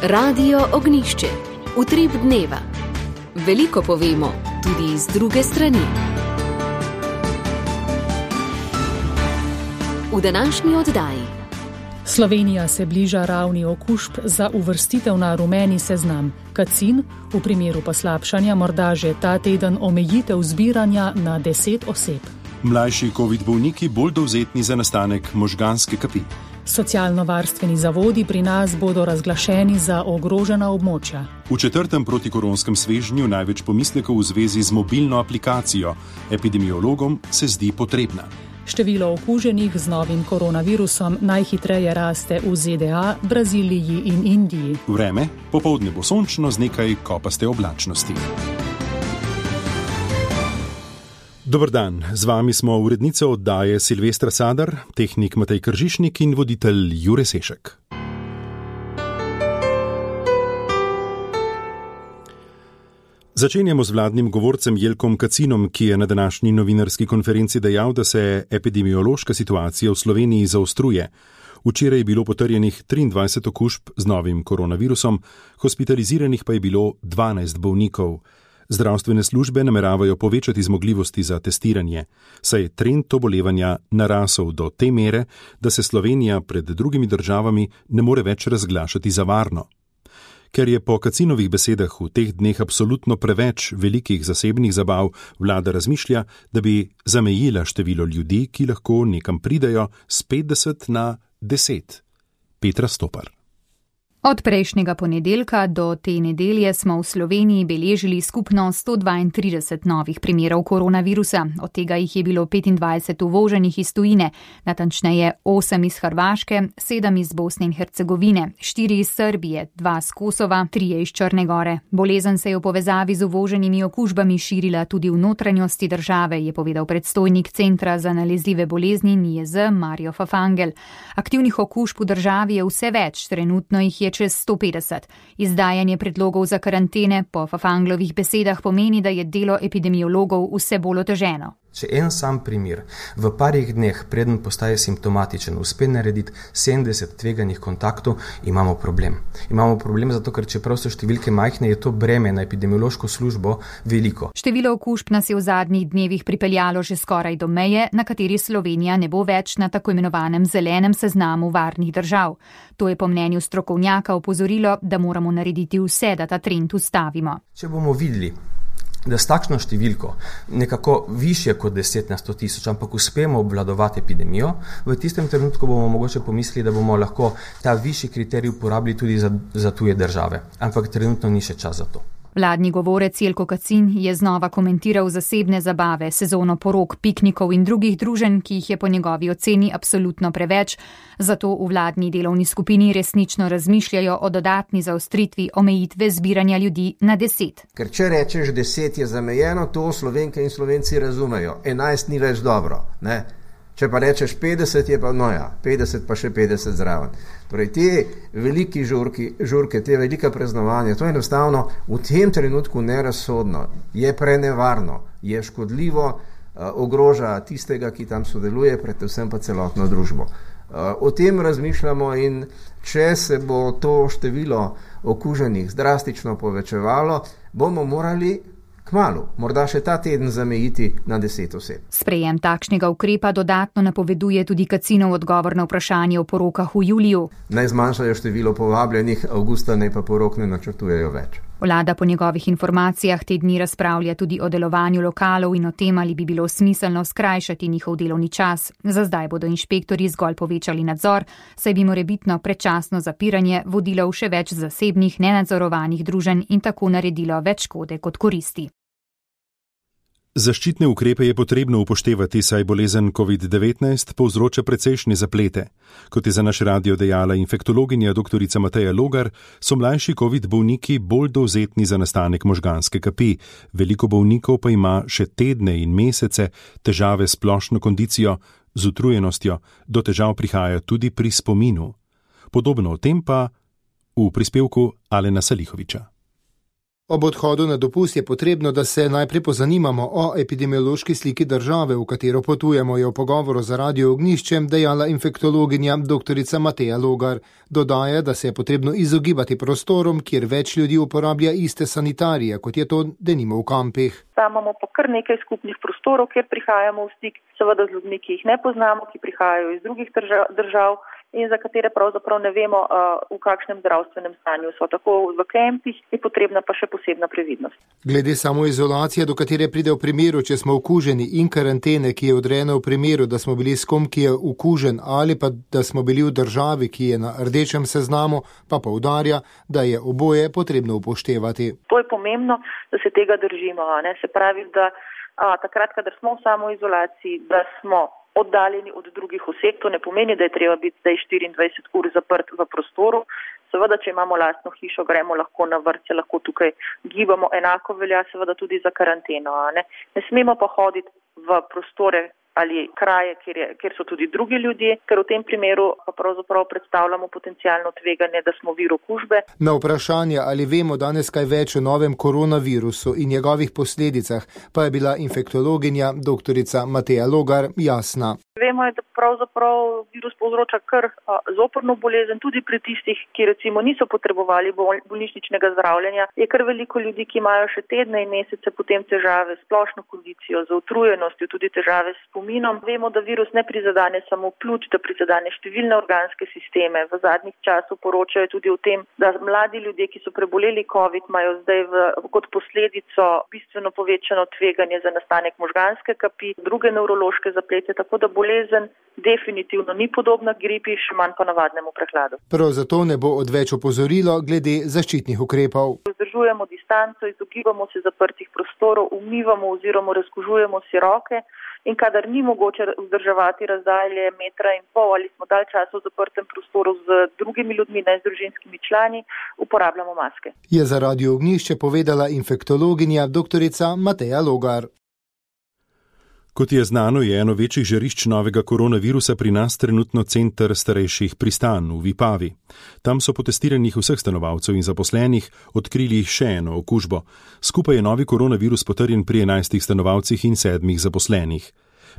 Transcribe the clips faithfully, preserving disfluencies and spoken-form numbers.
Radio Ognjišče. Utrip dneva. Veliko povemo, tudi iz druge strani. V današnji oddaji. Slovenija se bliža ravni okužb za uvrstitev na rumeni seznam. Kacin, v primeru poslabšanja morda že ta teden omejitev zbiranja na deset oseb. Mlajši covid bolniki bolj dovzetni za nastanek možganske kapi. Socialno-varstveni zavodi pri nas bodo razglašeni za ogrožena območja. V četrtem protikoronskem svežnju največ pomislekov v zvezi z mobilno aplikacijo. Epidemiologom se zdi potrebna. Število okuženih z novim koronavirusom najhitreje raste v Z D A, Braziliji in Indiji. Vreme, popoldne bo sončno z nekaj kopaste oblačnosti. Dober dan, z vami smo urednica oddaje Silvestra Sadar, tehnik Matej Kržišnik in voditelj Jure Sešek. Začenjamo z vladnim govorcem Jelkom Kacinom, ki je na današnji novinarski konferenci dejal, da se epidemiološka situacija v Sloveniji zaostruje. Včeraj je bilo potrjenih triindvajset okužb z novim koronavirusom, hospitaliziranih pa je bilo dvanajst bolnikov. Zdravstvene službe nameravajo povečati zmogljivosti za testiranje, saj je trend obolevanja narasel do te mere, da se Slovenija pred drugimi državami ne more več razglašati za varno. Ker je po Kacinovih besedah v teh dneh absolutno preveč velikih zasebnih zabav, vlada razmišlja, da bi zamejila število ljudi, ki lahko nekam pridejo, s petdeset na deset. Petra Stopar. Od prejšnjega ponedeljka do te nedelje smo v Sloveniji beležili skupno sto dvaintrideset novih primerov koronavirusa, od tega jih je bilo petindvajset uvoženih iz tujine, natančneje osem iz Hrvaške, sedem iz Bosne in Hercegovine, štiri iz Srbije, dva z Kosova, trije iz Črne Gore. Bolezen se je v povezavi z uvoženimi okužbami širila tudi v notranjosti države, je povedal predstojnik Centra za nalezljive bolezni N I E Z Mario Fafangel. Aktivnih okužb v državi je vse več, trenutno jih je čez sto petdeset. Izdajanje predlogov za karantene po Fafanglovih besedah pomeni, da je delo epidemiologov vse bolj oteženo. Če en sam primer v parih dneh, preden postaje simptomatičen, uspe narediti sedemdeset tveganih kontaktov, imamo problem. Imamo problem zato, ker čeprav so številke majhne, je to breme na epidemiološko službo veliko. Število okužb nas je v zadnjih dnevih pripeljalo že skoraj do meje, na kateri Slovenija ne bo več na tako imenovanem zelenem seznamu varnih držav. To je po mnenju strokovnjaka opozorilo, da moramo narediti vse, da ta trend ustavimo. Če bomo videli, da s takšno številko, nekako višje kot deset na sto tisoč, ampak uspemo obvladovati epidemijo, v tistem trenutku bomo mogoče pomislili, da bomo lahko ta višji kriterij uporabili tudi za, za tuje države. Ampak trenutno ni še čas za to. Vladni govorec Jelko Kacin je znova komentiral zasebne zabave, sezono porok, piknikov in drugih druženj, ki jih je po njegovi oceni absolutno preveč, zato v vladni delovni skupini resnično razmišljajo o dodatni zaostritvi omejitve zbiranja ljudi na deset. Ker če rečeš deset je zamejeno, to Slovenke in Slovenci razumejo. enajst ni več dobro, ne? Če pa rečeš petdeset, je pa no ja, petdeset pa še petdeset zraven. Torej, te veliki žurki, žurke, te velika praznovanja, to je enostavno v tem trenutku nerazsodno, je prenevarno, je škodljivo, ogroža tistega, ki tam sodeluje, predvsem pa celotno družbo. O tem razmišljamo in če se bo to število okuženih drastično povečevalo, bomo morali kmalu, morda še ta teden zamejiti na deset oseb. Sprejem takšnega ukrepa dodatno napoveduje tudi Kacinov odgovor na vprašanje o porokah v juliju. Naj zmanjšajo število povabljenih, avgusta naj pa porok ne načrtujejo več. Vlada po njegovih informacijah te dni razpravlja tudi o delovanju lokalov in o tem, ali bi bilo smiselno skrajšati njihov delovni čas. Za zdaj bodo inšpektorji zgolj povečali nadzor, saj bi morebitno predčasno zapiranje vodilo v še več zasebnih, nenadzorovanih druženj in tako naredilo več škode kot koristi. Zaščitne ukrepe je potrebno upoštevati, saj bolezen covid devetnajst povzroča precejšnje zaplete. Kot je za naš radio dejala infektologinja doktorica Mateja Logar, so mlajši covid bolniki bolj dovzetni za nastanek možganske kapi. Veliko bolnikov pa ima še tedne in mesece težave s splošno kondicijo, z utrujenostjo, do težav prihaja tudi pri spominu. Podobno o tem pa v prispevku Alena Salihoviča. Ob odhodu na dopust je potrebno, da se najprej pozanimamo o epidemiološki sliki države, v katero potujemo, je v pogovoru za Radio Ognjiščem dejala infektologinja doktorica Mateja Logar. Dodaja, da se je potrebno izogibati prostorom, kjer več ljudi uporablja iste sanitarije, kot je to denimo v kampih. Imamo pa kar nekaj skupnih prostorov, kjer prihajamo v stik, seveda z ljudmi, ki jih ne poznamo, ki prihajajo iz drugih držav in za katere pravzaprav ne vemo, v kakšnem zdravstvenem stanju so. Tako v kampih je potrebna pa še posebna previdnost. Glede samoizolacije, do katere pride v primeru, če smo okuženi, in karantene, ki je odrejena v primeru, da smo bili s kom, ki je okužen, ali pa da smo bili v državi, ki je na rdečem seznamu, pa poudarja, da je oboje potrebno upoštevati. To je pomembno, da se tega držimo. Ne? Se pravi, da a, takrat, kadar smo v samoizolaciji, da smo oddaljeni od drugih oseb, to ne pomeni, da je treba biti zdaj štiriindvajset ur zaprt v prostoru. Seveda, če imamo lastno hišo, gremo lahko na vrt, se lahko tukaj gibamo, enako velja seveda tudi za karanteno. Ne, ne smemo pa hoditi v prostore ali kraje, kjer, je, kjer so tudi drugi ljudje, ker v tem primeru pa pravzaprav predstavljamo potencialno tveganje, da smo vir okužbe. Na vprašanje, ali vemo danes kaj več o novem koronavirusu in njegovih posledicah, pa je bila infektologinja doktorica Mateja Logar jasna. Vemo, da pravzaprav virus povzroča kar zoprno bolezen, tudi pri tistih, ki recimo niso potrebovali bolnišničnega zdravljenja. Je kar veliko ljudi, ki imajo še tedne in mesece potem težave s splošno kondicijo, z utrujenostjo, tudi težave s spominom. Vemo, da virus ne prizadene samo pljuč, da prizadene številne organske sisteme. V zadnjih časih poročajo tudi o tem, da mladi ljudje, ki so preboleli COVID, imajo zdaj v, kot posledico bistveno povečano tveganje za nastanek možganske kapi, druge nevrološke zaplete, tako da bolezen definitivno ni podobna gripi, še manj pa navadnemu prehladu. Prav zato ne bo odveč opozorilo glede zaščitnih ukrepov. Vzdržujemo distanco, izogibamo se zaprtih prostorov, umivamo oziroma razkužujemo si roke in kadar ni mogoče vzdrževati razdalje metra in pol ali smo dalj časa v zaprtem prostoru z drugimi ljudmi, ne z družinskimi člani, uporabljamo maske. Je za Radio Ognjišče povedala infektologinja doktorica Mateja Logar. Kot je znano, je eno večjih žarišč novega koronavirusa pri nas trenutno center starejših Pristan v Vipavi. Tam so po testiranjih vseh stanovalcev in zaposlenih odkrili še eno okužbo. Skupaj je novi koronavirus potrjen pri enajstih stanovalcih in sedmih zaposlenih.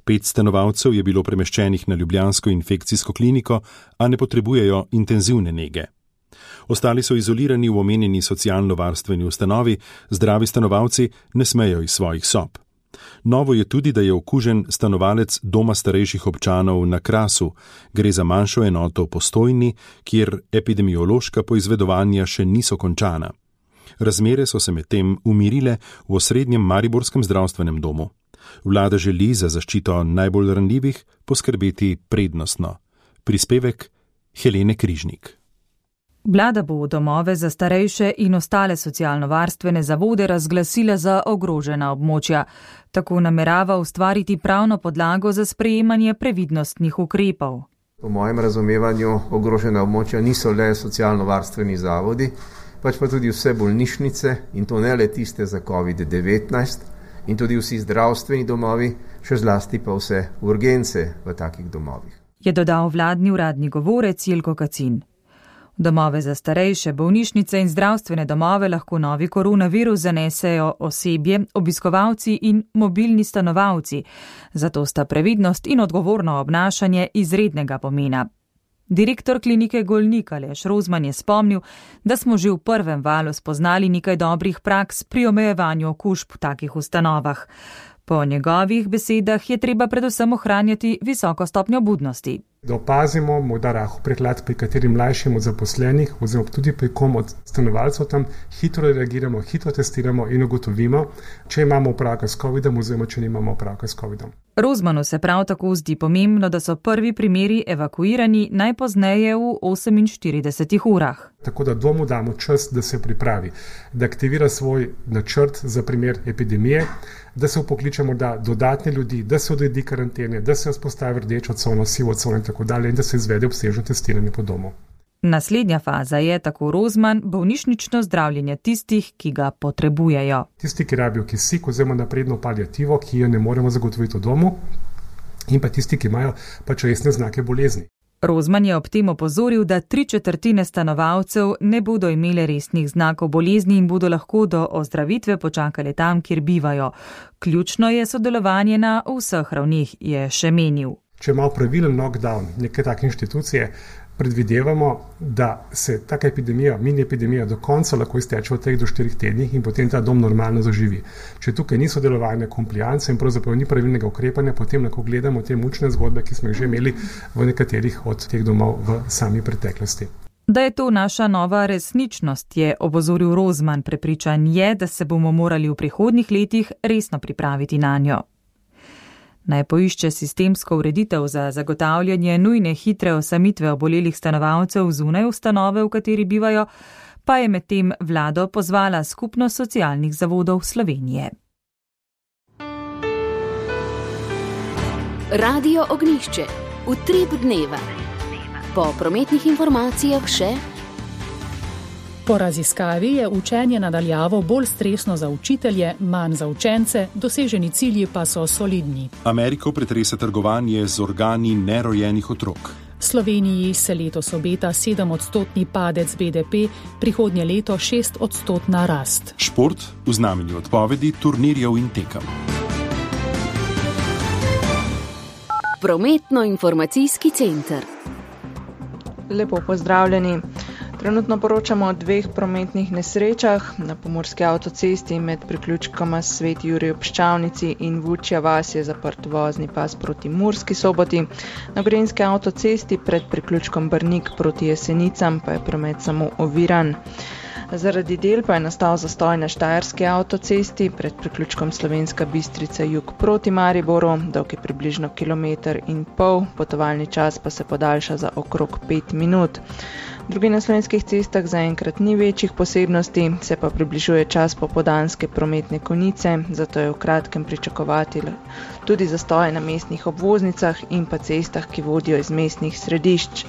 Pet stanovalcev je bilo premeščenih na ljubljansko infekcijsko kliniko, a ne potrebujejo intenzivne nege. Ostali so izolirani v omenjeni socialno-varstveni ustanovi, zdravi stanovalci ne smejo iz svojih sob. Novo je tudi, da je okužen stanovalec doma starejših občanov na Krasu. Gre za manjšo enoto v Postojni, kjer epidemiološka poizvedovanja še niso končana. Razmere so se medtem umirile v osrednjem mariborskem zdravstvenem domu. Vlada želi za zaščito najbolj ranljivih poskrbeti prednostno. Prispevek Helene Križnik. Vlada bo domove za starejše in ostale socialno-varstvene zavode razglasila za ogrožena območja. Tako namerava ustvariti pravno podlago za sprejemanje previdnostnih ukrepov. Po mojem razumevanju ogrožena območja niso le socialno-varstveni zavodi, pač pa tudi vse bolnišnice in to ne le tiste za covid devetnajst in tudi vsi zdravstveni domovi, še zlasti pa vse urgence v takih domovih. Je dodal vladni uradni govorec Jelko Kacin. Domove za starejše, bolnišnice in zdravstvene domove lahko novi koronavirus zanesejo osebje, obiskovalci in mobilni stanovalci. Zato sta previdnost in odgovorno obnašanje izrednega pomena. Direktor klinike Golnik Aleš Rozman je spomnil, da smo že v prvem valu spoznali nekaj dobrih praks pri omejevanju okužb v takih ustanovah. Po njegovih besedah je treba predvsem ohranjati visoko stopnjo budnosti. Da opazimo morda rahel prehlad pri katerim mlajšim od zaposlenih oziroma tudi pri kom od stanovalcev tam, hitro reagiramo, hitro testiramo in ugotovimo, če imamo opravka s covidom oziroma če nimamo opravka s covidom. Rozmanu se prav tako zdi pomembno, da so prvi primeri evakuirani najpozneje v oseminštiridesetih urah. Tako da domu damo čas, da se pripravi, da aktivira svoj načrt za primer epidemije, da se upokliče morda dodatne ljudi, da se odredi karantene, da se vzpostavi rdečo cono, sivo cono in tako dalje in da se izvede obsežno testiranje po domu. Naslednja faza je, tako Rozman, bolnišnično zdravljenje tistih, ki ga potrebujejo. Tisti, ki rabijo kisik oziroma napredno paliativo, ki jo ne moremo zagotoviti v domu, in pa tisti, ki imajo pač resne znake bolezni. Rozman je ob tem opozoril, da tri četrtine stanovalcev ne bodo imeli resnih znakov bolezni in bodo lahko do ozdravitve počakali tam, kjer bivajo. Ključno je sodelovanje na vseh ravneh, je še menil. Če imamo pravilen lockdown neke take inštitucije, predvidevamo, da se taka epidemija, mini epidemija do konca lahko izteče v treh do štirih tednih in potem ta dom normalno zaživi. Če tukaj ni sodelovanja, komplijance in pravzaprav ni pravilnega ukrepanja, potem lahko gledamo te mučne zgodbe, ki smo jih že imeli v nekaterih od teh domov v sami preteklosti. Da je to naša nova resničnost, je opozoril Rozman. Prepričan je, da se bomo morali v prihodnjih letih resno pripraviti na njo. Naj poišče sistemsko ureditev za zagotavljanje nujne hitre osamitve obolelih stanovalcev zunaj ustanove, v kateri bivajo, pa je medtem vlado pozvala Skupnost socialnih zavodov Slovenije. Radio Ognjišče. Utrip dneva. Po prometnih informacijah še. Po raziskavi je učenje nadaljavo bolj stresno za učitelje, manj za učence, doseženi cilji pa so solidni. Ameriko pretrese trgovanje z organi nerojenih otrok. Sloveniji se letos obeta sedemodstotni padec B D P, prihodnje leto šestodstotna rast. Šport v znamenju odpovedi turnirjev in tekem. Prometno-informacijski center. Lepo pozdravljeni. Trenutno poročamo o dveh prometnih nesrečah na pomurski avtocesti med priključkoma Sveti Jurij ob Ščavnici in Vučja vas je zaprt vozni pas proti Murski Soboti. Na gorenjski avtocesti pred priključkom Brnik proti Jesenicam pa je promet samo oviran. Zaradi del pa je nastal zastoj na štajerski avtocesti pred priključkom Slovenska Bistrica jug proti Mariboru, dolg je približno kilometer in pol, potovalni čas pa se podaljša za okrog pet minut. Drugi na slovenskih cestah zaenkrat ni večjih posebnosti, se pa približuje čas popoldanske prometne konice, zato je v kratkem pričakovati tudi zastoje na mestnih obvoznicah in pa cestah, ki vodijo iz mestnih središč.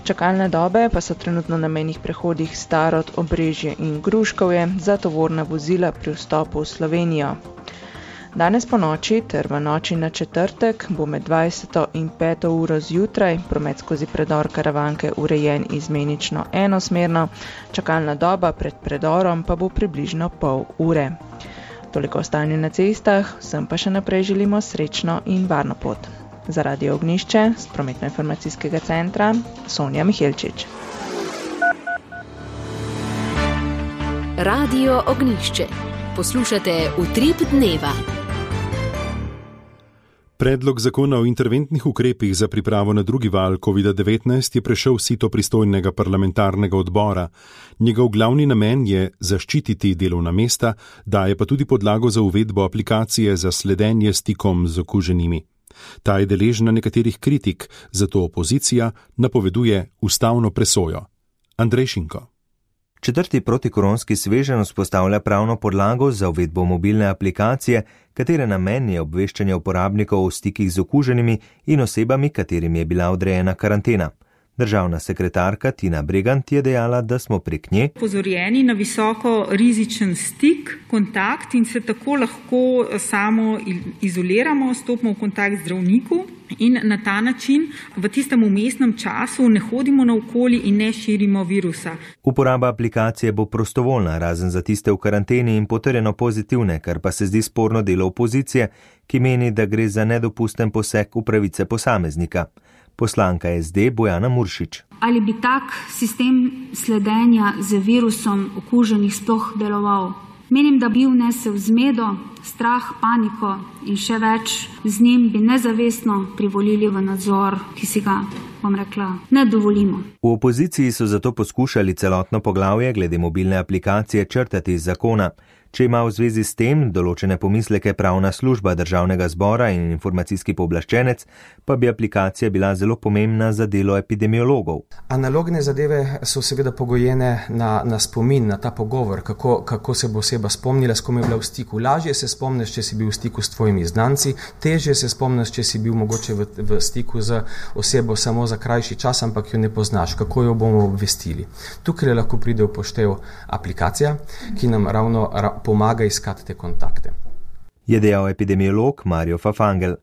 Čakalne dobe pa so trenutno na mejnih prehodih Starod, Obrežje in Gruškovje za tovorna vozila pri vstopu v Slovenijo. Danes po noči ter v noči na četrtek bo med dvajseto in peto uro zjutraj promet skozi predor Karavanke urejen izmenično enosmerno, čakalna doba pred predorom pa bo približno pol ure. Toliko o stanju na cestah, vsem pa še naprej želimo srečno in varno pot. Za Radio Ognjišče z prometno-informacijskega centra Sonja Mihelčič. Radio Ognjišče. Poslušate Utrip dneva. Predlog zakona o interventnih ukrepih za pripravo na drugi val covid devetnajst je prešel sito pristojnega parlamentarnega odbora. Njegov glavni namen je zaščititi delovna mesta, daje pa tudi podlago za uvedbo aplikacije za sledenje stikom z okuženimi. Ta je deležna nekaterih kritik, zato opozicija napoveduje ustavno presojo. Andrej Šinko. Četrti protikoronski sveženj vzpostavlja pravno podlago za uvedbo mobilne aplikacije, katere namen je obveščanje uporabnikov o stikih z okuženimi in osebami, katerim je bila odrejena karantena. Državna sekretarka Tina Bregant je dejala, da smo prek nje pozorjeni na visoko rizičen stik, kontakt in se tako lahko samo izoliramo, stopimo v kontakt z zdravniku in na ta način v tistem umestnem času ne hodimo naokoli in ne širimo virusa. Uporaba aplikacije bo prostovoljna, razen za tiste v karanteni in potrjeno pozitivne, kar pa se zdi sporno delo opozicije, ki meni, da gre za nedopusten poseg v pravice posameznika. Poslanka S D Bojana Muršič. Ali bi tak sistem sledenja z virusom okuženih sploh deloval? Menim, da bi vnesel zmedo, strah, paniko in še več, z njim bi nezavestno privolili v nadzor, ki si ga, bom rekla, ne dovolimo. V opoziciji so zato poskušali celotno poglavje glede mobilne aplikacije črtati iz zakona. Če ima v zvezi s tem določene pomisleke pravna služba Državnega zbora in informacijski pooblaščenec, pa bi aplikacija bila zelo pomembna za delo epidemiologov. Analogne zadeve so seveda pogojene na, na spomin, na ta pogovor, kako, kako se bo oseba spomnila, s kom je bila v stiku. Lažje se spomniš, če si bil v stiku s tvojimi znanci, težje se spomniš, če si bil mogoče v, v stiku z osebo samo za krajši čas, ampak jo ne poznaš, kako jo bomo obvestili. Tukaj lahko pride v poštev aplikacija, ki nam ravno ra, pomaga iskati te kontakte. Je dejal epidemiolog Mario Fafangel.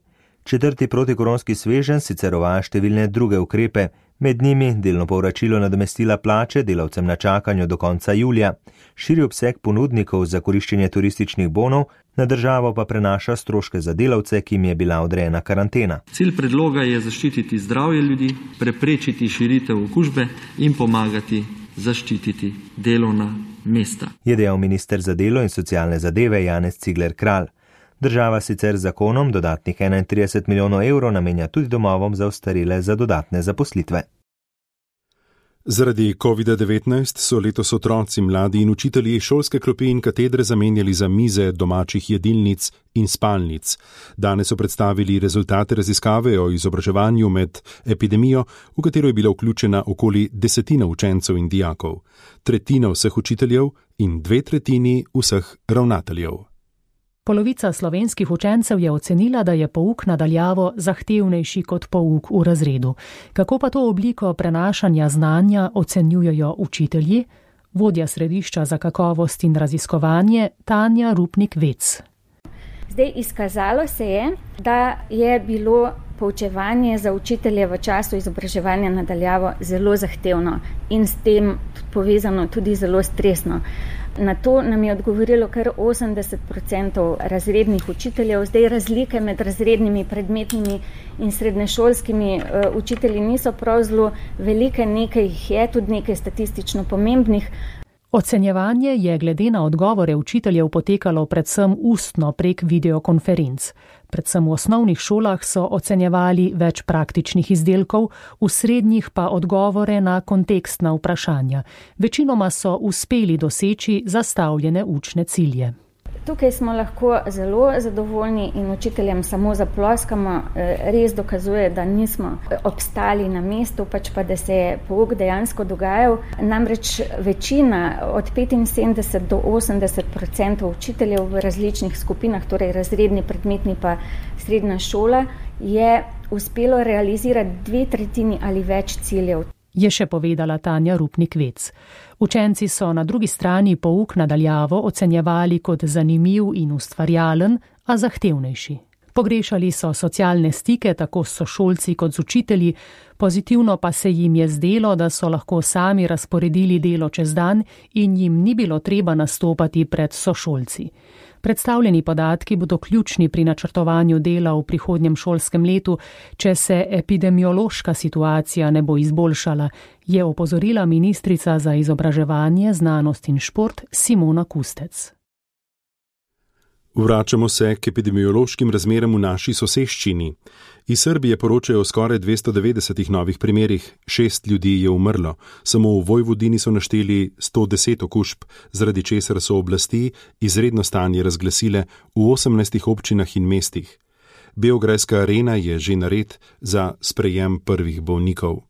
Četrti protikoronski sveženj sicer uvaja številne druge ukrepe, med njimi delno povračilo nadomestila plače delavcem na čakanju do konca julija, širi obseg ponudnikov za koriščenje turističnih bonov, na državo pa prenaša stroške za delavce, ki jim je bila odrejena karantena. Cilj predloga je zaščititi zdravje ljudi, preprečiti širitev okužbe in pomagati zaščititi delovna mesta. Je dejal minister za delo in socialne zadeve Janez Cigler Kralj. Država sicer z zakonom dodatnih enaintrideset milijonov evrov namenja tudi domovom za ostarele za dodatne zaposlitve. Zaradi kovida devetnajst so letos otroci, mladi in učitelji šolske klopi in katedre zamenjali za mize domačih jedilnic in spalnic. Danes so predstavili rezultate raziskave o izobraževanju med epidemijo, v katero je bila vključena okoli desetina učencev in dijakov, tretjina vseh učiteljev in dve tretjini vseh ravnateljev. Polovica slovenskih učencev je ocenila, da je pouk nadaljavo zahtevnejši kot pouk v razredu. Kako pa to obliko prenašanja znanja ocenjujejo učitelji? Vodja središča za kakovost in raziskovanje Tanja Rupnik-Vec. Zdaj, izkazalo se je, da je bilo poučevanje za učitelje v času izobraževanja nadaljavo zelo zahtevno in s tem povezano tudi zelo stresno. Na to nam je odgovorilo kar osemdeset procentov razrednih učiteljev. Zdaj razlike med razrednimi, predmetnimi in srednješolskimi uh, učitelji niso prav zelo velike, nekaj jih je, tudi nekaj statistično pomembnih. Ocenjevanje je glede na odgovore učiteljev potekalo predvsem ustno prek videokonferenc. Predvsem v osnovnih šolah so ocenjevali več praktičnih izdelkov, v srednjih pa odgovore na kontekstna vprašanja. Večinoma so uspeli doseči zastavljene učne cilje. Tukaj smo lahko zelo zadovoljni in učiteljem samo zaploskamo, res dokazuje, da nismo obstali na mestu, pač pa da se je pouk dejansko dogajal. Namreč večina od petinsedemdeset do osemdeset procentov učiteljev v različnih skupinah, torej razredni, predmetni pa srednja šola, je uspelo realizirati dve tretjini ali več ciljev. Je še povedala Tanja Rupnik-Vec. Učenci so na drugi strani pouk nadaljavo ocenjevali kot zanimiv in ustvarjalen, a zahtevnejši. Pogrešali so socialne stike tako s sošolci kot z učitelji, pozitivno pa se jim je zdelo, da so lahko sami razporedili delo čez dan in jim ni bilo treba nastopati pred sošolci. Predstavljeni podatki bodo ključni pri načrtovanju dela v prihodnjem šolskem letu, če se epidemiološka situacija ne bo izboljšala, je opozorila ministrica za izobraževanje, znanost in šport Simona Kustec. Vračamo se k epidemiološkim razmeram v naši soseščini. Iz Srbije poročajo o skoraj dvesto devetdesetih novih primerih, šest ljudi je umrlo, samo v Vojvodini so našteli sto deset okužb, zaradi česar so oblasti izredno stanje razglasile v osemnajstih občinah in mestih. Beograjska arena je že nared za sprejem prvih bolnikov.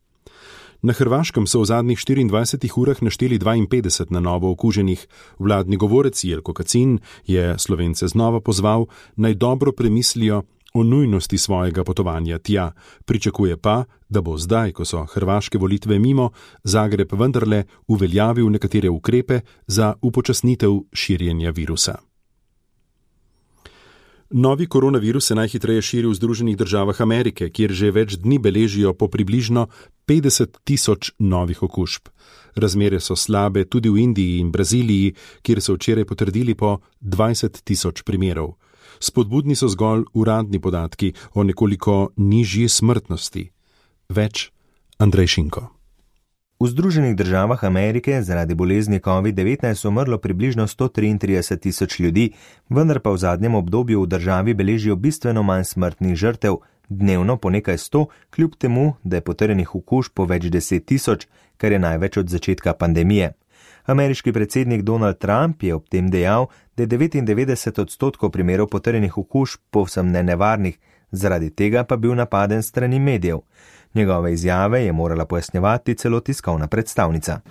Na Hrvaškem so v zadnjih štiriindvajsetih urah našteli dvainpetdeset na novo okuženih. Vladni govorec Jelko Kacin je Slovence znova pozval, naj dobro premislijo o nujnosti svojega potovanja tja. Pričakuje pa, da bo zdaj, ko so hrvaške volitve mimo, Zagreb vendarle uveljavil nekatere ukrepe za upočasnitev širjenja virusa. Novi koronavirus se najhitreje širi v Združenih državah Amerike, kjer že več dni beležijo po približno petdeset tisoč novih okužb. Razmere so slabe tudi v Indiji in Braziliji, kjer so včeraj potrdili po dvajset tisoč primerov. Spodbudni so zgolj uradni podatki o nekoliko nižji smrtnosti. Več Andrej Šinko. V Združenih državah Amerike zaradi bolezni covid devetnajst umrlo približno sto triintrideset tisoč ljudi, vendar pa v zadnjem obdobju v državi beležijo bistveno manj smrtnih žrtev, dnevno po nekaj sto, kljub temu, da je potrjenih okužb po več deset tisoč, kar je največ od začetka pandemije. Ameriški predsednik Donald Trump je ob tem dejal, da je devetindevetdeset odstotkov primerov potrjenih okužb povsem nenevarnih, zaradi tega pa bil napaden strani medijev. Njegove izjave je morala pojasnjevati celo tiskovna predstavnica.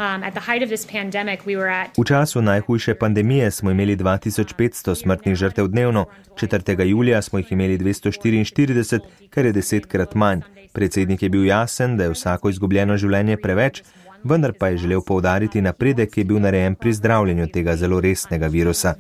V času najhujše pandemije smo imeli dva tisoč petsto smrtnih žrtev dnevno, četrtega julija smo jih imeli dvesto štiriinštirideset, kar je desetkrat manj. Predsednik je bil jasen, da je vsako izgubljeno življenje preveč, vendar pa je želel poudariti napredek, ki je bil narejen pri zdravljenju tega zelo resnega virusa.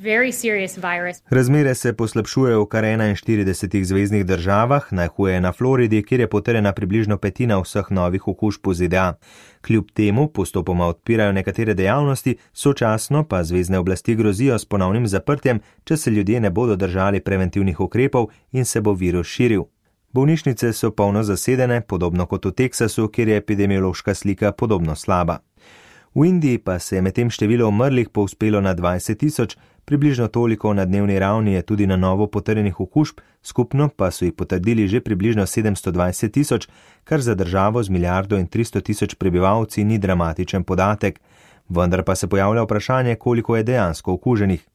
Razmere se poslabšujejo v kar enainštiridesetih zveznih državah, najhuje na Floridi, kjer je potrjena približno petina vseh novih okužb v Z D A. Kljub temu postopoma odpirajo nekatere dejavnosti, sočasno pa zvezne oblasti grozijo s ponovnim zaprtjem, če se ljudje ne bodo držali preventivnih ukrepov in se bo virus širil. Bolnišnice so polno zasedene, podobno kot v Teksasu, kjer je epidemiološka slika podobno slaba. V Indiji pa se je medtem število umrlih povzpelo na dvajset tisoč, približno toliko na dnevni ravni je tudi na novo potrjenih okužb, skupno pa so jih potrdili že približno sedemsto dvajset tisoč, kar za državo z milijardo in tristo tisoč prebivalci ni dramatičen podatek. Vendar pa se pojavlja vprašanje, koliko je dejansko okuženih.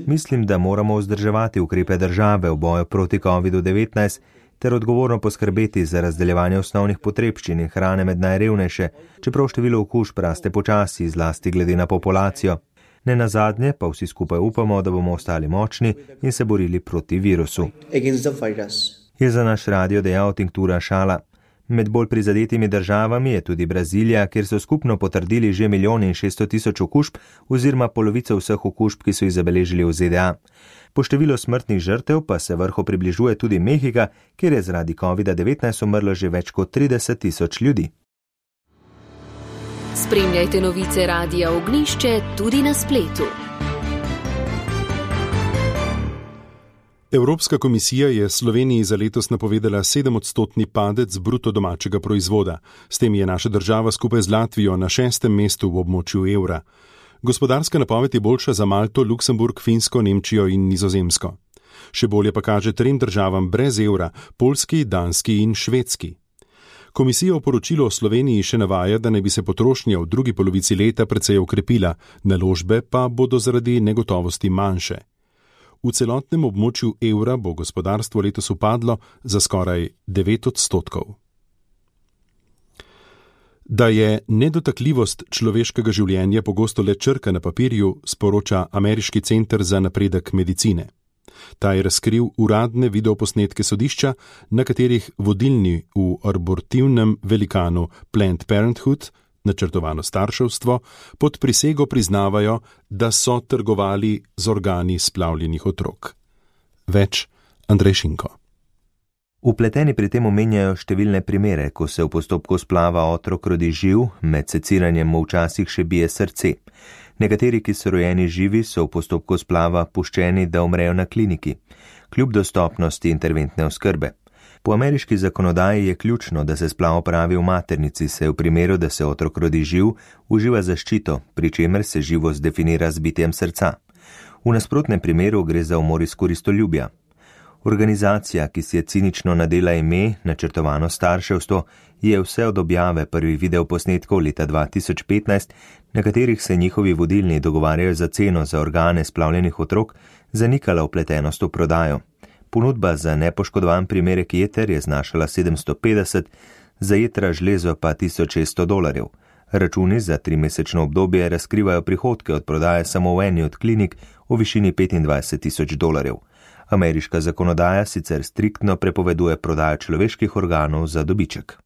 Mislim, da moramo vzdrževati ukrepe države v boju proti kovidu devetnajst ter odgovorno poskrbeti za razdeljevanje osnovnih potrebščin in hrane med najrevnejše, čeprav število okužb raste počasi, zlasti glede na populacijo. Ne nazadnje pa vsi skupaj upamo, da bomo ostali močni in se borili proti virusu. Je za naš radio dejal Tinktura Šala. Med bolj prizadetimi državami je tudi Brazilija, kjer so skupno potrdili že milijon in šeststo tisoč okužb oziroma polovico vseh okužb, ki so jih zabeležili v Z D A. Po številu smrtnih žrtev pa se vrhu približuje tudi Mehika, kjer je zaradi kovida devetnajst umrlo že več kot trideset tisoč ljudi. Spremljajte novice Radia Ognjišče tudi na spletu. Evropska komisija je Sloveniji za letos napovedala sedemodstotni padec bruto domačega proizvoda. S tem je naša država skupaj z Latvijo na šestem mestu v območju evra. Gospodarska napoved je boljša za Malto, Luksemburg, Finsko, Nemčijo in Nizozemsko. Še bolje pa kaže trem državam brez evra, Poljski, Danski in Švedski. Komisija v poročilu o Sloveniji še navaja, da naj bi se potrošnja v drugi polovici leta precej okrepila, naložbe pa bodo zaradi negotovosti manjše. V celotnem območju evra bo gospodarstvo letos upadlo za skoraj devet odstotkov. Da je nedotakljivost človeškega življenja pogosto le črka na papirju, sporoča Ameriški center za napredek medicine. Ta je razkril uradne videoposnetke sodišča, na katerih vodilni v abortivnem velikanu Planned Parenthood, načrtovano starševstvo, pod prisego priznavajo, da so trgovali z organi splavljenih otrok. Več Andrej Šinko. Vpleteni pri tem omenjajo številne primere, ko se v postopku splava otrok rodi živ, med seciranjem mu včasih še bije srce. Nekateri, ki so rojeni živi, so v postopku splava puščeni, da umrejo na kliniki, kljub dostopnosti interventne oskrbe. Po ameriški zakonodaji je ključno, da se splav opravi v maternici, se v primeru, da se otrok rodi živ, uživa zaščito, pri čemer se živost definira z bitjem srca. V nasprotnem primeru gre za umor iz koristoljubja. Organizacija, ki si je cinično nadela ime načrtovano starševstvo, je vse od objave prvih videoposnetkov leta dva tisoč petnajst, na katerih se njihovi vodilni dogovarjajo za ceno za organe splavljenih otrok, zanikala vpletenost v prodajo. Ponudba za nepoškodovan primerek jeter je znašala sedemsto petdeset, za jetra žlezo pa tisoč šeststo dolarjev. Računi za trimesečno obdobje razkrivajo prihodke od prodaje samo v eni od klinik v višini petindvajset tisoč dolarjev. Ameriška zakonodaja sicer striktno prepoveduje prodajo človeških organov za dobiček.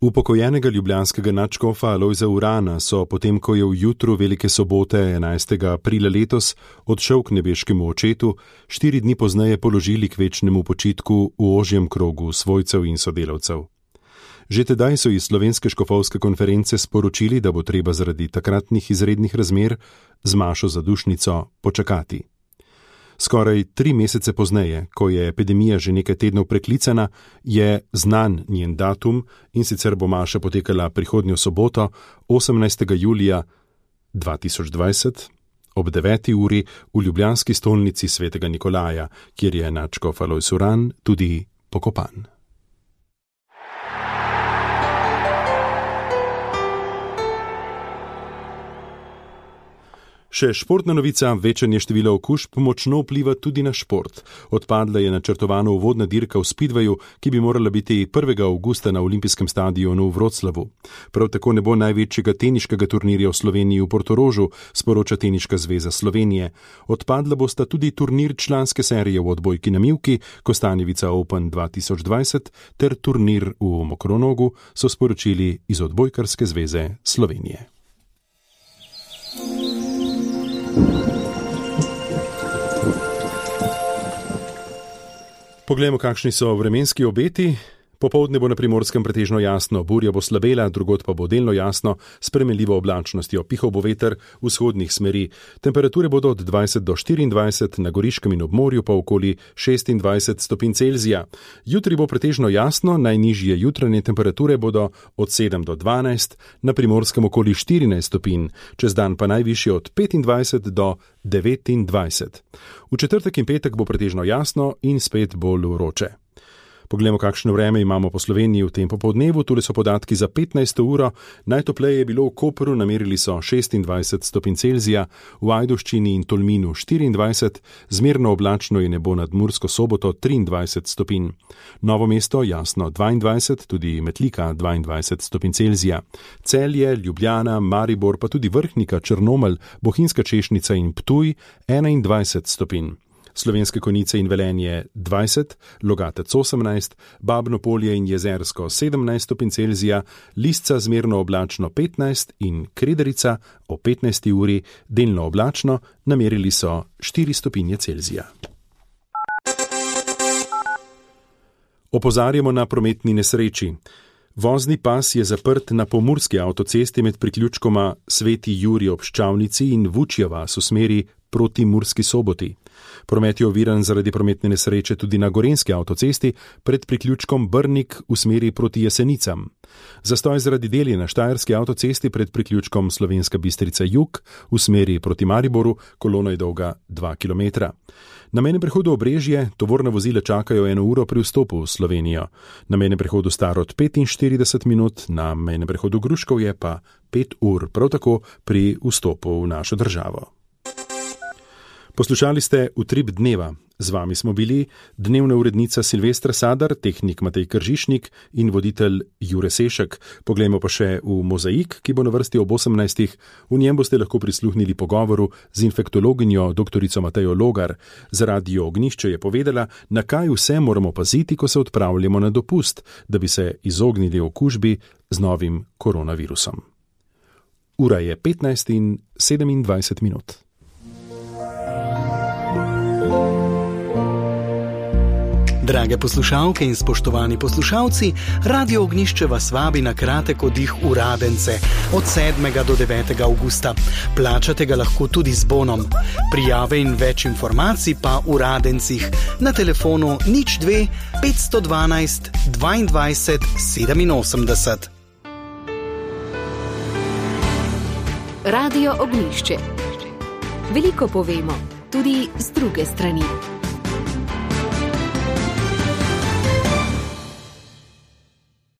Upokojenega ljubljanskega nadškofa Alojza Urana so potem, ko je v jutru velike sobote enajstega aprila letos odšel k nebeškemu očetu, štiri dni pozneje položili k večnemu počitku v ožjem krogu svojcev in sodelavcev. Že tedaj so iz Slovenske škofovske konference sporočili, da bo treba zaradi takratnih izrednih razmer z mašo za dušnico počakati. Skoraj tri mesece pozneje, ko je epidemija že nekaj tednov preklicana, je znan njen datum in sicer bo maša potekala prihodnjo soboto, osemnajstega julija dva tisoč dvajset, ob deveti uri v ljubljanski stolnici svetega Nikolaja, kjer je nadškof Alojz Uran tudi pokopan. Še športna novica, večanje števila okužb močno vpliva tudi na šport. Odpadla je načrtovana uvodna dirka v Speedwayu, ki bi morala biti prvega avgusta na olimpijskem stadionu v Wroclawu. Prav tako ne bo največjega teniškega turnirja v Sloveniji v Portorožu, sporoča Teniška zveza Slovenije. Odpadla bosta tudi turnir članske serije v odbojki na mivki, Kostanjevica Open dva tisoč dvajset ter turnir v Mokronogu, so sporočili iz Odbojkarske zveze Slovenije. Poglejmo, kakšni so vremenski obeti. Popoldne bo na Primorskem pretežno jasno, burja bo slabela, drugod pa bo delno jasno, s spremenljivo oblačnostjo, pihal bo veter vzhodnih smeri. Temperature bodo od dvajset do štiriindvajset, na Goriškem in ob morju pa okoli šestindvajset stopinj Celzija. Jutri bo pretežno jasno, najnižje jutranje temperature bodo od sedem do dvanajst, na Primorskem okoli štirinajst stopinj, čez dan pa najvišje od petindvajset do devetindvajset. V četrtek in petek bo pretežno jasno in spet bolj vroče. Poglejmo, kakšno vreme imamo po Sloveniji v tem popoldnevu. Tule so podatki za petnajsto uro. Najtopleje je bilo v Kopru, namerili so šestindvajset stopinj Celzija, v Ajdovščini in Tolminu štiriindvajset, zmerno oblačno je nebo nad Mursko Soboto triindvajset stopinj. Novo mesto jasno dvaindvajset, tudi Metlika dvaindvajset stopinj Celzija. Celje, Ljubljana, Maribor pa tudi Vrhnika, Črnomelj, Bohinjska Češnica in Ptuj enaindvajset stopinj. Slovenske Konjice in Velenje dvajset, Logatec osemnajst, Babno Polje in Jezersko sedemnajst stopinj Celzija, Lisca zmerno oblačno petnajst in Krederica o petnajsti uri delno oblačno, namerili so štiri stopinje Celzija. Opozarjamo na prometni nesreči. Vozni pas je zaprt na pomurski avtocesti med priključkoma Sveti Jurij ob Ščavnici in Vučja vas v smeri proti Murski Soboti. Promet je oviran zaradi prometne nesreče tudi na gorenjski avtocesti pred priključkom Brnik v smeri proti Jesenicam. Zastoj zaradi deli na štajerski avtocesti pred priključkom Slovenska Bistrica Jug v smeri proti Mariboru, kolona je dolga dva kilometra. Na mejnem prehodu Obrežje tovorna vozila čakajo eno uro pri vstopu v Slovenijo. Na mejnem prehodu Starod petinštirideset minut, na mejnem prehodu Gruškovje pa pet ur, prav tako pri vstopu v našo državo. Poslušali ste Utrip dneva. Z vami smo bili dnevna urednica Silvestra Sadar, tehnik Matej Kržišnik in voditelj Jure Sešek. Poglejmo pa še v Mozaik, ki bo na vrsti ob osemnajstih. V njem boste lahko prisluhnili pogovoru z infektologinjo doktorico Matejo Logar. Za Radio Ognjišče je povedala, na kaj vse moramo paziti, ko se odpravljamo na dopust, da bi se izognili okužbi z novim koronavirusom. Ura je petnajst in sedemindvajset minut. Drage poslušalke in spoštovani poslušalci, Radio Ognjišče vas vabi na kratek oddih v Radence od sedmega do devetega avgusta. Plačate ga lahko tudi z bonom. Prijave in več informacij pa v Radencih na telefonu nič dve petsto dvanajst dvaindvajset sedeminosemdeset. Radio Ognjišče. Veliko povemo, tudi z druge strani.